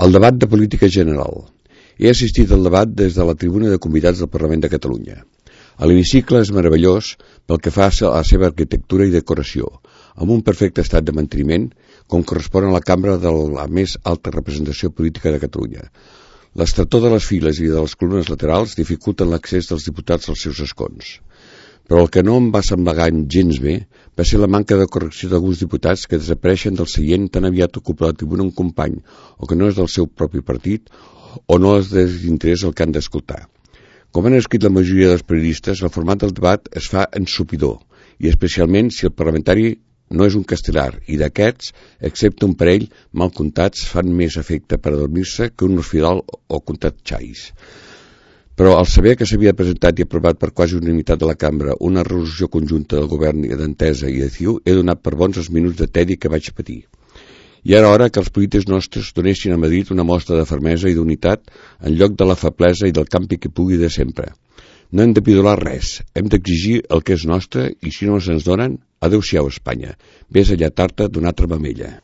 El debat de política general. He assistit al debat des de la tribuna de convidats del Parlament de Catalunya. L'hemicicle és meravellós pel que fa a la seva arquitectura i decoració, amb un perfecte estat de manteniment, com correspon a la cambra de la més alta representació política de Catalunya. L'estretor de les files i de les columnes laterals dificulten l'accés dels diputats als seus escons. Però el que no em va semblar gens bé va ser la manca de correcció d'alguns diputats que desapareixen del seient tan aviat ocupa la tribuna un company o que no és del seu propi partit o no és d'interès el que han d'escoltar. Com han escrit la majoria dels periodistes, el format del debat es fa ensopidor, i especialment si el parlamentari no és un castellar, i d'aquests, excepte un parell mal comptats, fan més efecte per adormir-se que un orfidal o comptat xais. Però al saber que s'havia presentat i aprovat per quasi unanimitat de la cambra una resolució conjunta del govern d'Entesa i de CiU, he donat per bons els minuts de tedi que vaig patir. I era hora que els polítics nostres donessin a Madrid una mostra de fermesa i d'unitat en lloc de la feblesa i del campi que pugui de sempre. No hem de pidolar res, hem d'exigir el que és nostre i si no se'ns donen, adeu-siau Espanya, vés a lletar-te d'una altra mamella.